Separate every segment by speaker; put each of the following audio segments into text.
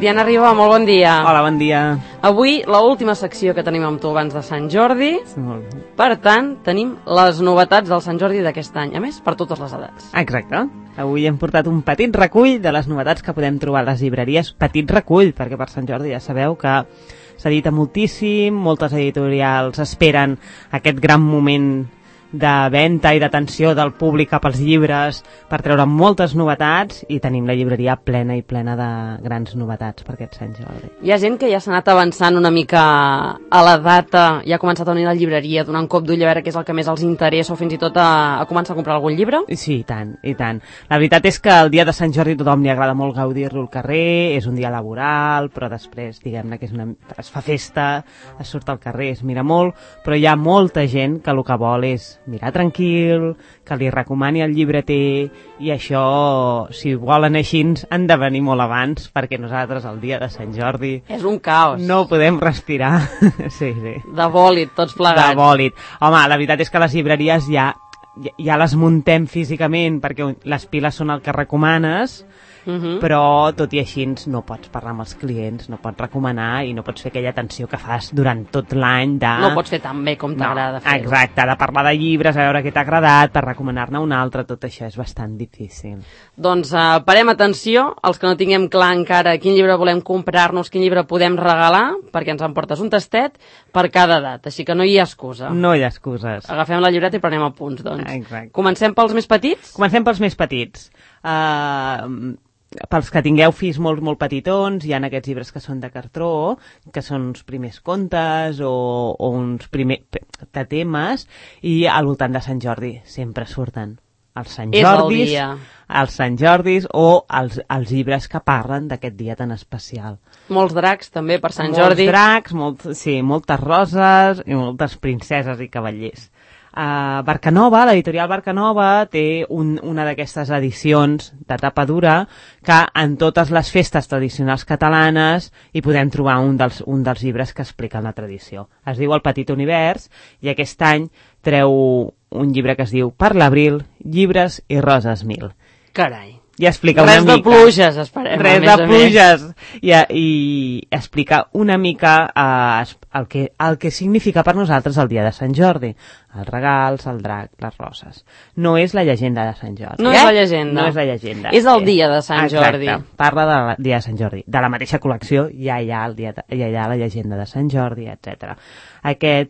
Speaker 1: Diana Riba, molt bon dia.
Speaker 2: Hola, bon dia.
Speaker 1: Avui, l'última secció que tenim amb tu abans de Sant Jordi.
Speaker 2: Molt bé.
Speaker 1: Per tant, tenim les novetats del Sant Jordi d'aquest any. A més, per totes les edats.
Speaker 2: Exacte. Avui hem portat un petit recull de les novetats que podem trobar a les llibreries. Petit recull, perquè per Sant Jordi ja sabeu que s'edita moltíssim, moltes editorials esperen aquest gran moment de venda i d'atenció del públic cap als llibres per treure moltes novetats, i tenim la llibreria plena i plena de grans novetats per aquest Sant Jordi.
Speaker 1: Hi ha gent que ja s'ha anat avançant una mica a la data, ja ha començat a venir a la llibreria, donar un cop d'ull a veure què és el que més els interessa, o fins i tot a començar a comprar algun llibre?
Speaker 2: Sí, i tant, i tant. La veritat és que el dia de Sant Jordi a tothom li agrada molt gaudir-lo al carrer, és un dia laboral, però després, diguem-ne que es fa festa, es surt al carrer, es mira molt, però hi ha molta gent que el que vol és mirar tranquil, que li recomani el llibreter, i això, si volen així, han de venir molt abans, perquè nosaltres el dia de Sant Jordi
Speaker 1: És un caos.
Speaker 2: no podem respirar. Sí.
Speaker 1: De bòlit, tots plegats.
Speaker 2: De bòlit. Home, la veritat és que les llibreries ja les muntem físicament, perquè les piles són el que recomanes, però tot i així no pots parlar amb els clients, no pots recomanar i no pots fer aquella atenció que fas durant tot l'any de...
Speaker 1: No pots fer tan bé com t'agrada fer-ho.
Speaker 2: Exacte, de parlar de llibres, a veure què t'ha agradat, per recomanar-ne un altre, tot això és bastant difícil.
Speaker 1: Doncs parem atenció, els que no tinguem clar encara quin llibre volem comprar-nos, quin llibre podem regalar, perquè ens emportes un tastet per cada edat, així que no hi ha excusa.
Speaker 2: No hi ha excuses.
Speaker 1: Agafem la llibreta i prenem apunts, doncs.
Speaker 2: Exacte.
Speaker 1: Comencem pels més petits?
Speaker 2: Comencem pels més petits. Pels que tingueu fills molt, molt petitons, hi ha aquests llibres que són de cartró, que són uns primers contes o uns primers temes, i al voltant de Sant Jordi sempre surten els Sant Jordis, els Sant Jordis o els llibres que parlen d'aquest dia tan especial.
Speaker 1: Molts dracs també per Sant Jordi.
Speaker 2: Molts dracs, moltes roses i moltes princeses i cavallers. Barcanova, l'editorial Barcanova, té una d'aquestes edicions de tapa dura que en totes les festes tradicionals catalanes hi podem trobar un dels llibres que expliquen la tradició. Es diu El petit univers, i aquest any treu un llibre que es diu Per l'abril, llibres i roses mil.
Speaker 1: Carai.
Speaker 2: I explica una mica...
Speaker 1: Res de pluges, esperem,
Speaker 2: res de pluges. I explica una mica el que significa per nosaltres el dia de Sant Jordi. Els regals, el drac, les roses. No és la llegenda de Sant Jordi.
Speaker 1: No és la llegenda.
Speaker 2: No és la llegenda.
Speaker 1: És el dia de Sant Jordi.
Speaker 2: Exacte. Parla del dia de Sant Jordi. De la mateixa col·lecció ja hi ha la llegenda de Sant Jordi, etc.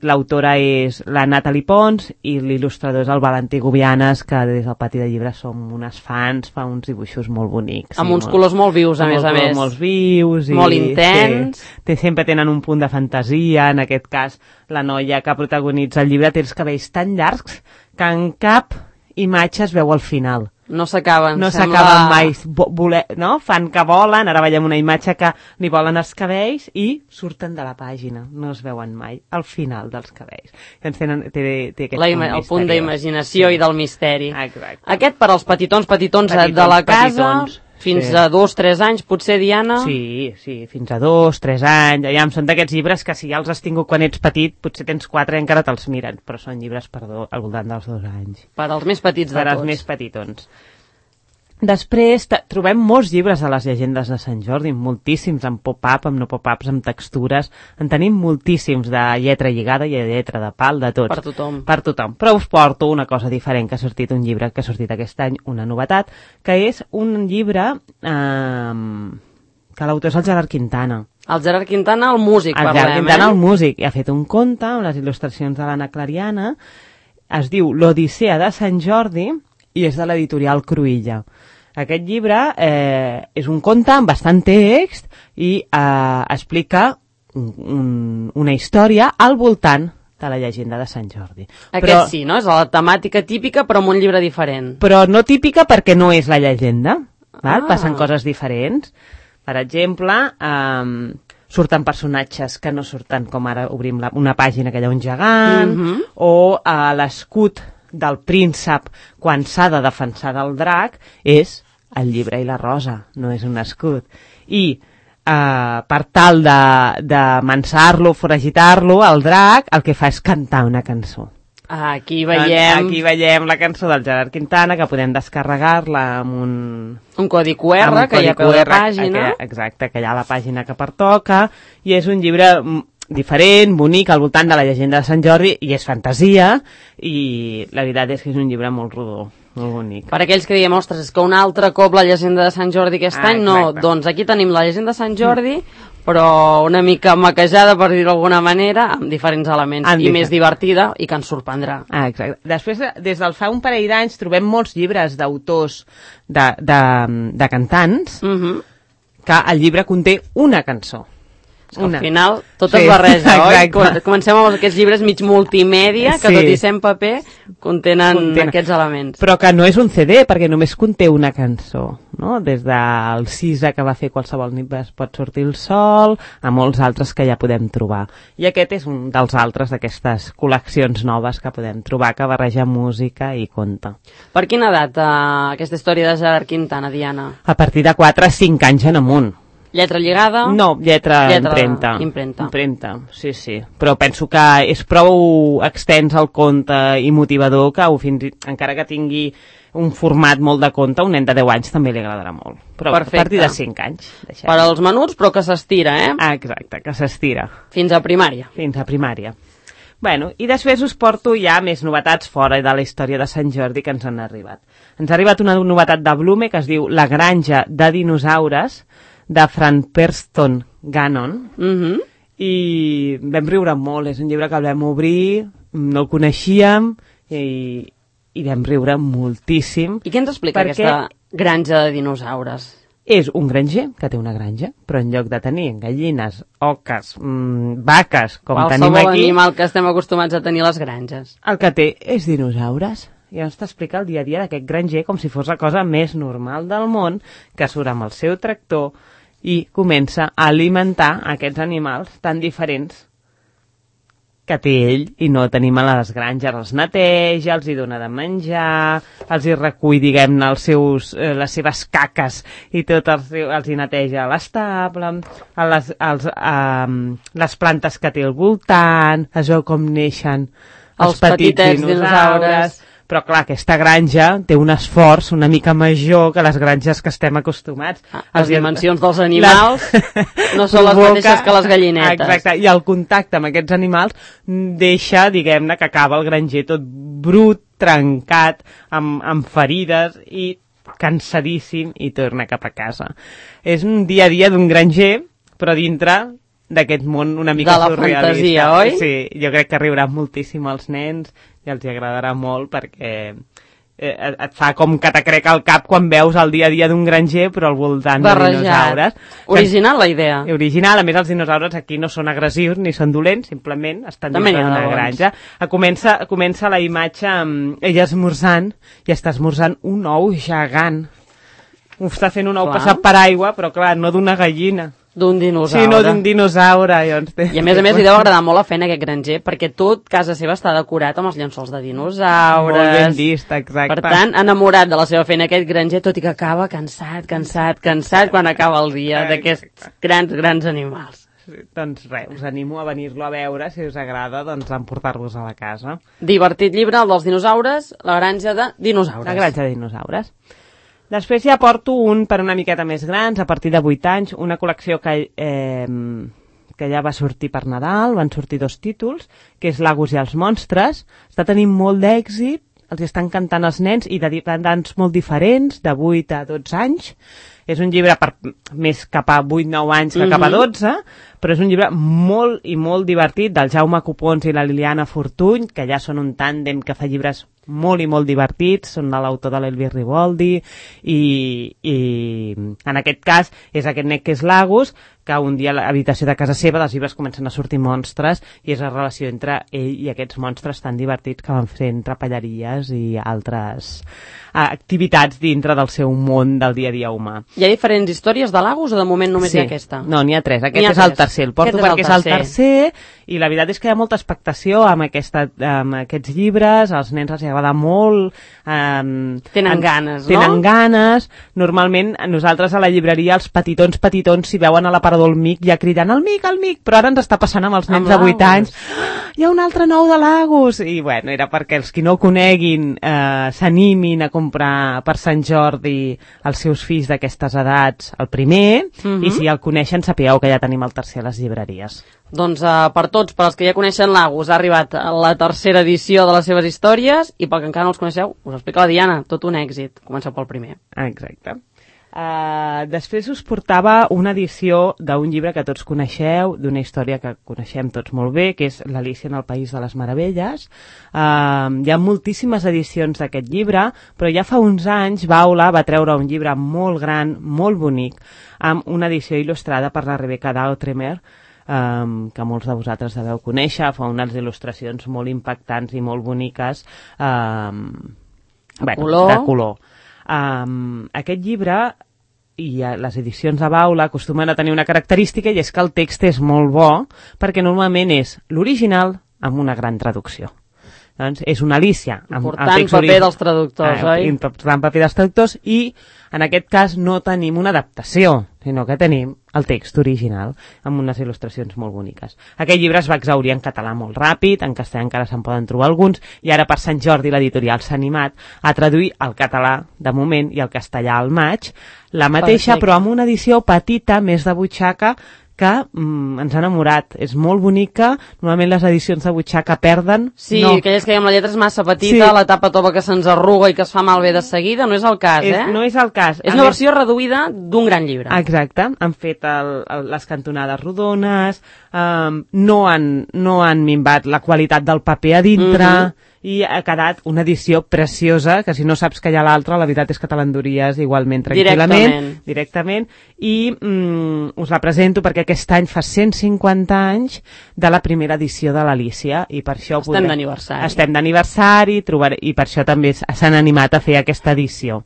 Speaker 2: L'autora és la Natalie Pons i l'il·lustrador és el Valentí Gubianes, que des del Pati de Llibres som unes fans, fa uns dibuixos molt bonics.
Speaker 1: Amb uns colors molt vius, a més a més.
Speaker 2: Molt vius.
Speaker 1: Molt intens.
Speaker 2: Sempre tenen un punt de fantasia. En aquest cas, la noia que protagonitza el llibre té els cabells tan llargs que en cap imatge es veu al final.
Speaker 1: No s'acaben.
Speaker 2: No s'acaben mai. No? Fan que volen, ara veiem una imatge que li volen els cabells i surten de la pàgina. No es veuen mai al final dels cabells. Té aquest
Speaker 1: el punt d'imaginació i del misteri.
Speaker 2: Exacte.
Speaker 1: Aquest per als petitons de la casa, fins a 2-3 anys, potser, Diana?
Speaker 2: Sí, fins a 2-3 anys. Són d'aquests llibres que si ja els has tingut quan ets petit, potser tens 4 i encara te'ls miren, però són llibres al voltant dels 2 anys.
Speaker 1: Per als més petits de tots.
Speaker 2: Per als més petitons. Després trobem molts llibres de les llegendes de Sant Jordi, moltíssims, amb pop-up, amb no pop-ups, amb textures. En tenim moltíssims de lletra lligada i de lletra de pal, de tots.
Speaker 1: Per tothom.
Speaker 2: Per tothom. Però us porto una cosa diferent, que ha sortit un llibre que ha sortit aquest any, una novetat, que és un llibre que l'autor és el Gerard Quintana.
Speaker 1: El Gerard Quintana, el músic, parlem,
Speaker 2: Gerard Quintana, el músic, i ha fet un conte amb les il·lustracions de l'Anna Clariana. Es diu L'Odissea de Sant Jordi i és de l'editorial Cruïlla. Aquest llibre és un conte amb bastant text i explica una història al voltant de la llegenda de Sant Jordi.
Speaker 1: Sí, no? És la temàtica típica, però amb un llibre diferent.
Speaker 2: Però no típica perquè no és la llegenda. Passen coses diferents. Per exemple, surten personatges que no surten, com ara obrim una pàgina que hi ha un gegant, o l'escut del príncep quan s'ha de defensar del drac és el llibre i la rosa, no és un escut. I per tal de mansar-lo, foragitar-lo, el drac el que fa és cantar una cançó.
Speaker 1: Aquí veiem
Speaker 2: la cançó del Gerard Quintana, que podem descarregar-la amb
Speaker 1: un codi QR, que hi ha a peu de pàgina.
Speaker 2: Exacte, que hi ha a la pàgina que pertoca, i és un llibre diferent, bonic, al voltant de la llegenda de Sant Jordi, i és fantasia, i la veritat és que és un llibre molt rodó, molt bonic.
Speaker 1: Per aquells que diem, ostres, és que un altre cop la llegenda de Sant Jordi aquest any, no, doncs aquí tenim la llegenda de Sant Jordi, però una mica maquejada, per dir-ho d'alguna manera, amb diferents elements, i més divertida, i que ens sorprendrà.
Speaker 2: Exacte. Després, des del fa un parell d'anys, trobem molts llibres d'autors de cantants, que el llibre conté una cançó.
Speaker 1: Al final, tot es barreja, oi? Comencem amb aquests llibres mig multimèdia, que tot i ser en paper, contenen aquests elements.
Speaker 2: Però que no és un CD, perquè només conté una cançó, no? Des del Sisa, que va fer Qualsevol nit es pot sortir el sol, a molts altres que ja podem trobar. I aquest és un dels altres d'aquestes col·leccions noves que podem trobar, que barreja música i conte.
Speaker 1: Per quina edat aquesta història de Gerard Quintana, Diana?
Speaker 2: A partir de 4-5 anys en amunt.
Speaker 1: Lletra lligada?
Speaker 2: No, lletra impremta. Impremta, sí. Però penso que és prou extens el conte i motivador que encara que tingui un format molt de conte, un nen de 10 anys també li agradarà molt. Però
Speaker 1: perfecte.
Speaker 2: A partir de 5 anys.
Speaker 1: Per als menuts, però que s'estira,
Speaker 2: Exacte, que s'estira.
Speaker 1: Fins a primària.
Speaker 2: Bueno, i després us porto ja més novetats fora de la història de Sant Jordi que ens han arribat. Ens ha arribat una novetat de Blume que es diu La granja de dinosaures, de Fran Preston Gannon, i vam riure molt. És un llibre que el vam obrir, no el coneixíem, i vam riure moltíssim.
Speaker 1: I què ens explica aquesta granja de dinosaures?
Speaker 2: És un granger que té una granja, però en lloc de tenir gallines, oques, vaques, com tenim aquí...
Speaker 1: Qualsevol animal que estem acostumats a tenir a les granges.
Speaker 2: El que té és dinosaures. I ens t'explica el dia a dia d'aquest granger com si fos la cosa més normal del món, que surt amb el seu tractor i comença a alimentar aquests animals tan diferents que té ell i no tenim a les granges. Els neteja, els hi dona de menjar, els hi recull, diguem-ne, les seves caques i tot els hi neteja l'estable, les plantes que té al voltant, es veu com neixen els petits dinosaures. Però clar, aquesta granja té un esforç una mica major que les granges que estem acostumats.
Speaker 1: Les dimensions dels animals no són les mateixes que les gallinetes.
Speaker 2: Exacte, i el contacte amb aquests animals deixa, diguem-ne, que acaba el granger tot brut, trencat, amb ferides i cansadíssim i torna cap a casa. És un dia a dia d'un granger, però dintre d'aquest món una mica surrealista.
Speaker 1: De la fantasia, oi?
Speaker 2: Sí, jo crec que riurà moltíssim als nens i els agradarà molt perquè et fa com que t'acreca el cap quan veus el dia a dia d'un granger però al voltant de dinosaures.
Speaker 1: Original la idea.
Speaker 2: Original, a més els dinosaures aquí no són agressius ni són dolents, simplement estan dins d'una granja. Comença la imatge amb ella esmorzant i està esmorzant un ou gegant. Està fent un ou passat per aigua, però clar, no d'una gallina.
Speaker 1: D'un dinosaure.
Speaker 2: Sí, no d'un dinosaure.
Speaker 1: I a més li deu agradar molt la feina aquest granger, perquè tot casa seva està decorat amb els llençols de dinosaures.
Speaker 2: Molt ben vist, exacte.
Speaker 1: Per tant, enamorat de la seva feina aquest granger, tot i que acaba cansat quan acaba el dia d'aquests grans animals.
Speaker 2: Sí, doncs res, us animo a venir-lo a veure, si us agrada, doncs a emportar-vos a la casa.
Speaker 1: Divertit llibre, el dels dinosaures, La granja de dinosaures.
Speaker 2: La granja de dinosaures. Després ja porto un per una miqueta més grans, a partir de 8 anys, una col·lecció que ja va sortir per Nadal, van sortir 2 títols, que és Lagos i els monstres. Està tenint molt d'èxit, els estan cantant els nens i d'edats molt diferents, de 8 a 12 anys. És un llibre més cap a 8-9 anys que cap a 12, però és un llibre molt i molt divertit, del Jaume Copons i la Liliana Fortuny, que ja són un tàndem que fa llibres molt i molt divertits, són de l'autor de l'Elvis Riboldi, i en aquest cas és aquest net que és Lagos, que un dia a l'habitació de casa seva dels llibres comencen a sortir monstres i és la relació entre ell i aquests monstres tan divertits que van fent trapelleries i altres activitats dintre del seu món del dia a dia humà.
Speaker 1: Hi ha diferents històries de Lagos o de moment només hi ha aquesta?
Speaker 2: No, n'hi ha 3. Aquest és el tercer. El porto perquè és el tercer i la veritat és que hi ha molta expectació amb aquests llibres, als nens els agrada molt.
Speaker 1: Tenen ganes, no?
Speaker 2: Tenen ganes. Normalment nosaltres a la llibreria els petitons s'hi veuen a la part l'aparador al Mic ja cridant el Mic, però ara ens està passant amb els nens de 8 anys. Hi ha un altre nou de Lagos! I bueno, era perquè els qui no ho coneguin s'animin a comprar per Sant Jordi els seus fills d'aquestes edats el primer, i si el coneixen sapigueu que ja tenim el tercer a les llibreries.
Speaker 1: Doncs per tots, per als que ja coneixen Lagos, ha arribat la tercera edició de les seves històries, i pel que encara no els coneixeu, us explica la Diana, tot un èxit. Comenceu pel primer.
Speaker 2: Exacte. Després us portava una edició d'un llibre que tots coneixeu, d'una història que coneixem tots molt bé, que és l'Alícia en el País de les Meravelles. Hi ha moltíssimes edicions d'aquest llibre, però ja fa uns anys Baula va treure un llibre molt gran, molt bonic, amb una edició il·lustrada per la Rebecca Dautremer, que molts de vosaltres deveu conèixer, fa unes il·lustracions molt impactants i molt boniques de color. Aquest llibre i les edicions de Baula acostumen a tenir una característica, i és que el text és molt bo, perquè normalment és l'original amb una gran traducció. Doncs és una Alícia.
Speaker 1: Important paper dels traductors, oi?
Speaker 2: Important paper dels traductors, i en aquest cas no tenim una adaptació, sinó que tenim el text original, amb unes il·lustracions molt boniques. Aquest llibre es va exhaurir en català molt ràpid, en castellà encara se'n poden trobar alguns, i ara per Sant Jordi l'editorial s'ha animat a traduir el català de moment i el castellà al maig, la mateixa, però amb una edició petita, més de butxaca, que ens ha enamorat. És molt bonica, normalment les edicions de butxaca perden.
Speaker 1: Sí, aquelles que amb la lletra és massa petita, la tapa tova que se'ns arruga i que es fa malbé de seguida, no és el cas,
Speaker 2: No és el cas.
Speaker 1: És una versió reduïda d'un gran llibre.
Speaker 2: Exacte, han fet les cantonades rodones, no han minvat la qualitat del paper a dintre, i ha quedat una edició preciosa, que si no saps que hi ha l'altra, la veritat és que te l'enduries igualment tranquil·lament, directament, i us la presento perquè aquest any fa 150 anys de la primera edició de l'Alícia, i per això estem d'aniversari, i per això també s'han animat a fer aquesta edició.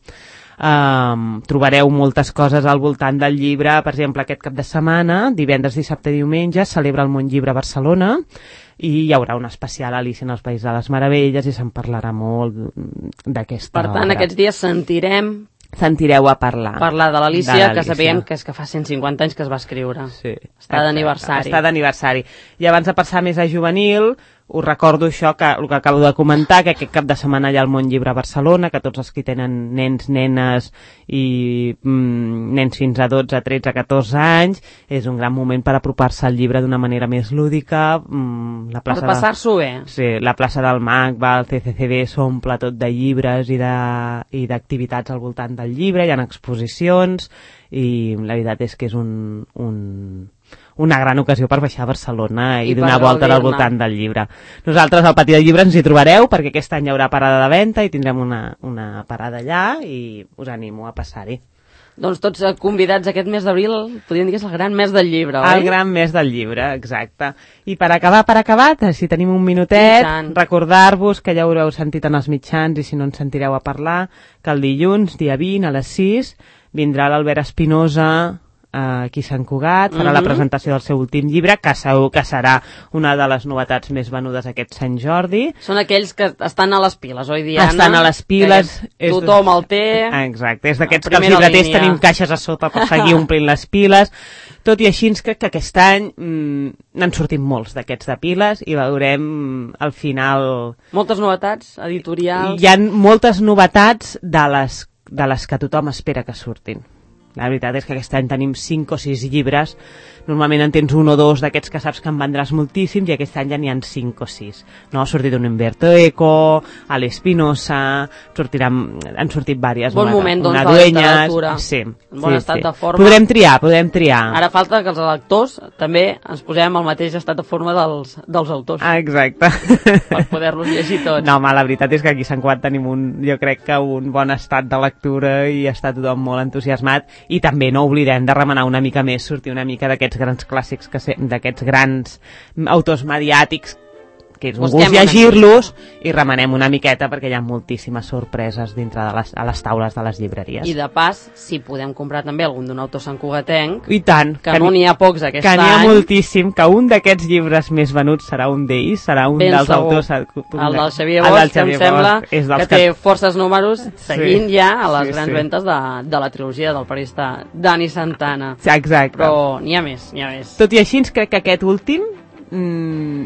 Speaker 2: Trobareu moltes coses al voltant del llibre. Per exemple, aquest cap de setmana, divendres, dissabte i diumenge, celebra el Món Llibre a Barcelona, i hi haurà un especial Alícia en el País de les Meravelles, i se'n parlarà molt d'aquesta obra.
Speaker 1: Per tant, aquests dies
Speaker 2: sentireu a parlar
Speaker 1: de l'Alícia, que sabíem que és que fa 150 anys que es va escriure.
Speaker 2: Sí,
Speaker 1: està d'aniversari.
Speaker 2: I abans de passar més a juvenil, us recordo això, el que acabo de comentar, que aquest cap de setmana hi ha el Món Llibre a Barcelona, que tots els que tenen nens, nenes i nens fins a 12, 13, 14 anys, és un gran moment per apropar-se al llibre d'una manera més lúdica.
Speaker 1: Per passar-s'ho bé.
Speaker 2: Sí, la plaça del MAC, el CCCB, s'omple tot de llibres i d'activitats al voltant del llibre, hi ha exposicions, i la veritat és que és una gran ocasió per baixar a Barcelona i donar volta al voltant del llibre. Nosaltres al Patí del Llibre ens hi trobareu, perquè aquest any hi haurà parada de venda i tindrem una parada allà, i us animo a passar-hi.
Speaker 1: Doncs tots convidats aquest mes d'abril, podríem dir que és el gran mes del llibre, oi?
Speaker 2: El gran mes del llibre, exacte. I per acabar, si tenim un minutet, recordar-vos que ja ho haureu sentit en els mitjans, i si no ens sentireu a parlar, que el dilluns, dia 20, a les 6, vindrà l'Albert Espinosa aquí a Sant Cugat, farà la presentació del seu últim llibre, que segur que serà una de les novetats més venudes aquest Sant Jordi.
Speaker 1: Són aquells que estan a les piles, oi, Diana?
Speaker 2: Estan a les piles.
Speaker 1: Tothom el té.
Speaker 2: Exacte, és d'aquests que els llibreters tenim caixes a sota per seguir omplint les piles. Tot i així, crec que aquest any n'han sortit molts d'aquests de piles, i veurem al final...
Speaker 1: Moltes novetats editorials.
Speaker 2: Hi ha moltes novetats de les que tothom espera que surtin. La veritat és que aquest any tenim 5 o 6 llibres. Normalment en tens 1 o 2 d'aquests que saps que en vendràs moltíssims, i aquest any ja n'hi ha 5 o 6. No? Ha sortit un Umberto Eco, a l'Espinosa, han sortit diverses.
Speaker 1: Bon moment, doncs, de la literatura.
Speaker 2: Sí.
Speaker 1: Bon estat de forma.
Speaker 2: Podrem triar.
Speaker 1: Ara falta que els lectors també ens posem al mateix estat de forma dels autors.
Speaker 2: Exacte.
Speaker 1: Per poder-los llegir tots.
Speaker 2: No, home, la veritat és que aquí a Sant Cugat tenim jo crec que un bon estat de lectura, i està tothom molt entusiasmat, i també no oblidem de remenar una mica més, sortir una mica d'aquests grans clàssics, d'aquests grans autors mediàtics que és un gust llegir-los, i remenem una miqueta perquè hi ha moltíssimes sorpreses dintre de les taules de les llibreries.
Speaker 1: I de pas, si podem comprar també algun d'un autor santcugatenc,
Speaker 2: i tant,
Speaker 1: que no n'hi ha pocs aquest any.
Speaker 2: Que n'hi ha moltíssim, que un d'aquests llibres més venuts serà un d'ells, serà un
Speaker 1: ben
Speaker 2: dels
Speaker 1: segur.
Speaker 2: autors...
Speaker 1: El del Xavier Bosch, que em sembla que té forces números seguint ja a les grans ventes de la trilogia del periodista Dani Santana.
Speaker 2: Exacte.
Speaker 1: Però n'hi ha més, n'hi ha més.
Speaker 2: Tot i així, crec que aquest últim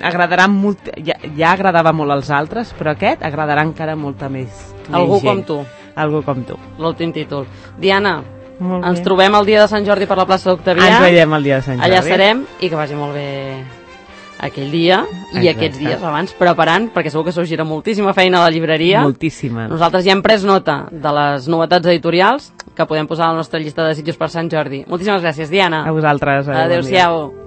Speaker 2: agradarà molt, ja agradava molt als altres, però aquest agradarà encara molta més
Speaker 1: Algú
Speaker 2: gent.
Speaker 1: com tu.
Speaker 2: Algú com tu.
Speaker 1: L'últim títol. Diana, ens trobem el dia de Sant Jordi per la plaça d'Octavià.
Speaker 2: Ens veiem el dia de Sant Jordi.
Speaker 1: Allà serem, i que vagi molt bé aquell dia i aquests dies abans preparant, perquè segur que s'ho gira moltíssima feina a la llibreria.
Speaker 2: Moltíssima.
Speaker 1: Nosaltres ja hem pres nota de les novetats editorials que podem posar a la nostra llista de desitjos per Sant Jordi. Moltíssimes gràcies, Diana.
Speaker 2: A vosaltres.
Speaker 1: Adéu-siau.